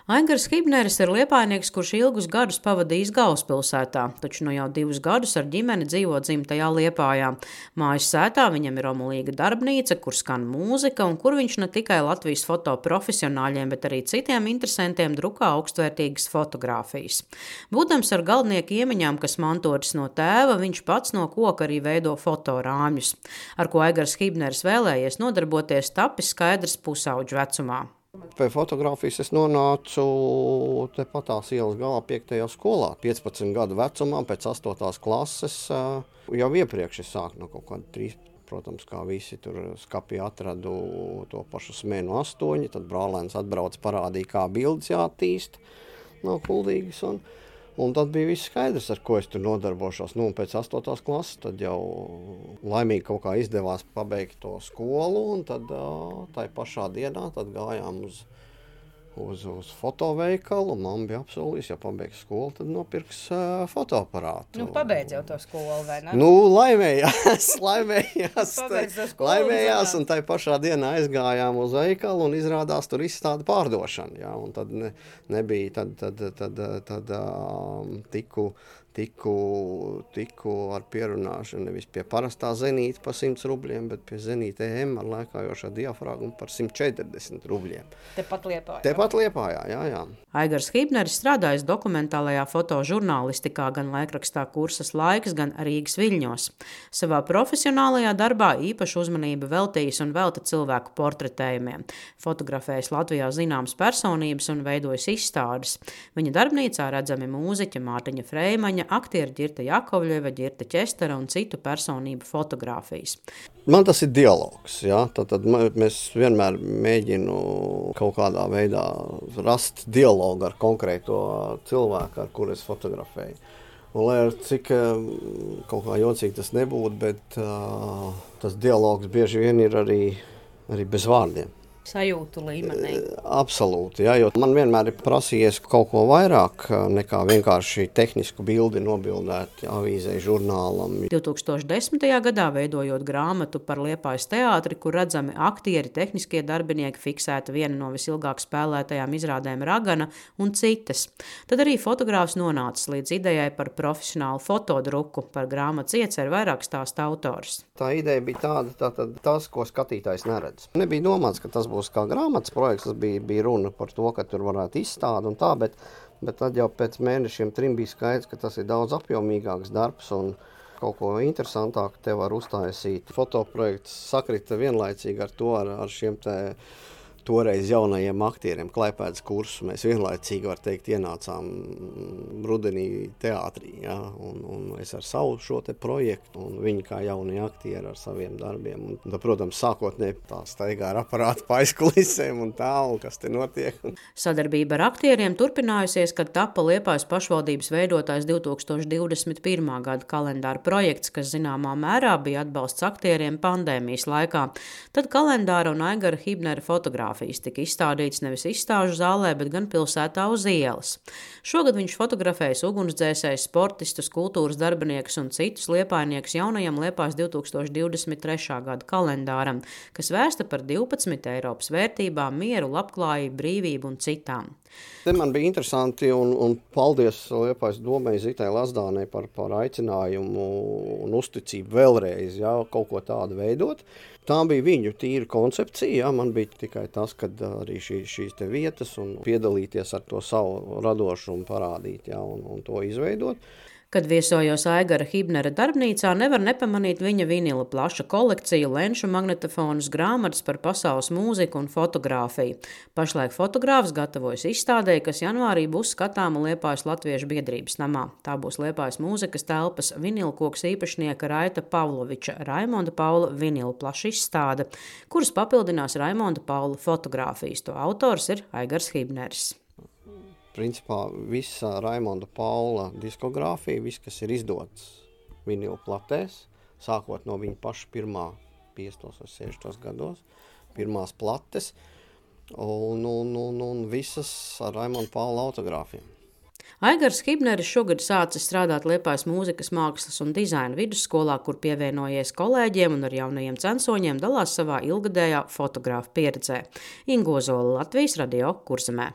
Aigars Hibneris ir liepājnieks, kurš ilgus gadus pavadījis galvaspilsētā, taču nu jau 2 gadus ar ģimeni dzīvo dzimtajā Liepājā. Mājas sētā viņam ir omulīga darbnīca, kur skan mūzika un kur viņš ne tikai Latvijas fotoprofesionāļiem, bet arī citiem interesantiem drukā augstvērtīgas fotogrāfijas. Būdams ar galvnieku iemaņām, kas mantotas no tēva, viņš pats no koka arī veido fotorāmjus. Ar ko Aigars Hibneris vēlējies nodarboties, tapis skaidrs pusauģu vecumā. Pie fotogrāfijas es nonācu tepat tās ielas galā 5. skolā. 15 gadu vecumā, pēc 8. klases, jau iepriekš es sāku no kaut kāda 3. Protams, kā visi tur skapī atradu to pašu smēnu 8, tad brālēns atbrauc parādīja, kā bildes jāattīst no Kuldīgas. Un tad bija viss skaidrs, ar ko es tur nodarbošos. Un pēc 8. klases tad jau laimīgi kaut kā izdevās pabeigt to skolu, un tad tai pašā dienā tad gājām uz fotoveikalu. Mamma bija apsolījusi, ja pabeigs skolu, tad nopirks fotoaparātu. Pabeidz jau to skolu, vai ne? Laimējās, un tai pašā dienā aizgājām uz veikalu, un izrādās tur izstāda pārdošana. Jā, un tad nebija, tad tiku ar pierunāšanu nevis pie parastā zenīta par 100 rubļiem, bet pie zenīta EM ar lēkājošā diafragmu par 140 rubļiem. Tepat Liepājā, jā. Aigars Hibneris strādājis dokumentālajā fotožurnālistikā gan laikrakstā Kursas laiks, gan Rīgas Viļņos. Savā profesionālajā darbā īpašu uzmanību veltījis un velta cilvēku portretējumiem. Fotografējis Latvijā zināmas personības un veidojis izstādes. Viņa darbnīcā redzami mūziķa Mārtiņa Freimaņa, aktieri Ģirta Jakovļeva, Ģirta Ķestera un citu personību fotogrāfijas. Man tas ir dialogs, jā. Tad mēs vienmēr mēģinu kaut kādā veidā rast dialogu ar konkrēto cilvēku, ar kuru es fotografēju. Un, lai ar cik kaut kā jocīgi tas nebūtu, bet tas dialogs bieži vien ir arī bez vārdiem. Sajūtu līmenī. Absolūti, jā, jo man vienmēr ir prasījies kaut ko vairāk nekā vienkārši tehnisku bildi nobildēt avīzei, žurnālam. 2010. gadā veidojot grāmatu par Liepājas teātri, kur redzami aktieri, tehniskie darbinieki, fiksēta viena no visilgāk spēlētajām izrādēm Ragana un citas. Tad arī fotogrāfs nonācis līdz idejai par profesionālu fotodruku. Par grāmatas ieceru vairāk stāsta autors. Tā ideja bija tāda, tas, ko skatītājs neredz. Nebija domāts, ka tas būs kā grāmatas projekts, tas bija runa par to, ka tur varētu izstādi un tā, bet tad jau pēc mēnešiem 3 bija skaidrs, ka tas ir daudz apjomīgāks darbs un kaut ko interesantāk te var uztaisīt. Fotoprojekts sakrita vienlaicīgi ar to, ar šiem toreiz jaunajiem aktieriem Klaipēdas kursu. Mēs vienlaicīgi, var teikt, ienācām rudenī teātrī, jā, un es ar savu šo te projektu, un viņi kā jaunie aktieri ar saviem darbiem. Un, tad, protams, sākotnēji tā staigā ar aparātu pa aizkulisēm un tā, un kas te notiek. Sadarbība ar aktieriem turpinājusies, kad tapa Liepājas pašvaldības veidotais 2021. gada kalendāra projekts, kas zināmā mērā bija atbalsts aktieriem pandēmijas laikā. Tad kalendāra un Aigara Hibnera fotogrāfijas tika izstādīts nevis izstāžu zālē, bet gan pilsētā uz ielas. Šogad viņš fotografējas ugunsdzēsējus, sportistus, kultūras darbiniekus un citus liepājniekus jaunajam Liepājas 2023. gada kalendāram, kas vēsta par 12 Eiropas vērtībām, mieru, labklājību, brīvību un citām. Te man bija interesanti un paldies Liepājas domai Zitai Lazdānei par aicinājumu un uzticību vēlreiz, jā, kaut ko tādu veidot. Tā bija viņu tīra koncepcija, jā, man bija tikai tas, kad arī šīs te vietas un piedalīties ar to savu radošumu parādīt, jā, un to izveidot. Kad viesojos Aigara Hibnera darbnīcā, nevar nepamanīt viņa vinila plaša kolekciju, lenšu magnetofonus, grāmatas par pasaules mūziku un fotogrāfiju. Pašlaik fotogrāfs gatavojas izstādē, kas janvārī būs skatāma Liepājas Latviešu biedrības namā. Tā būs Liepājas mūzikas telpas vinilkoks īpašnieka Raita Pavloviča Raimonda Paula vinila plaša izstāde, kuras papildinās Raimonda Paula fotogrāfijas. To autors ir Aigars Hibneris. Principā visa Raimonda Paula diskogrāfija, viss, kas ir izdots vinila platēs, sākot no viņa paša pirmā 50. vai 60. gados, pirmās plates, un visas ar Raimonda Paula autogrāfiem. Aigars Hibneris šogad sācis strādāt Liepājas mūzikas, mākslas un dizaina vidusskolā, kur pievienojies kolēģiem un ar jaunajiem censoņiem dalās savā ilgadējā fotografa pieredzē. Inga Ozola, Latvijas Radio, Kurzemē.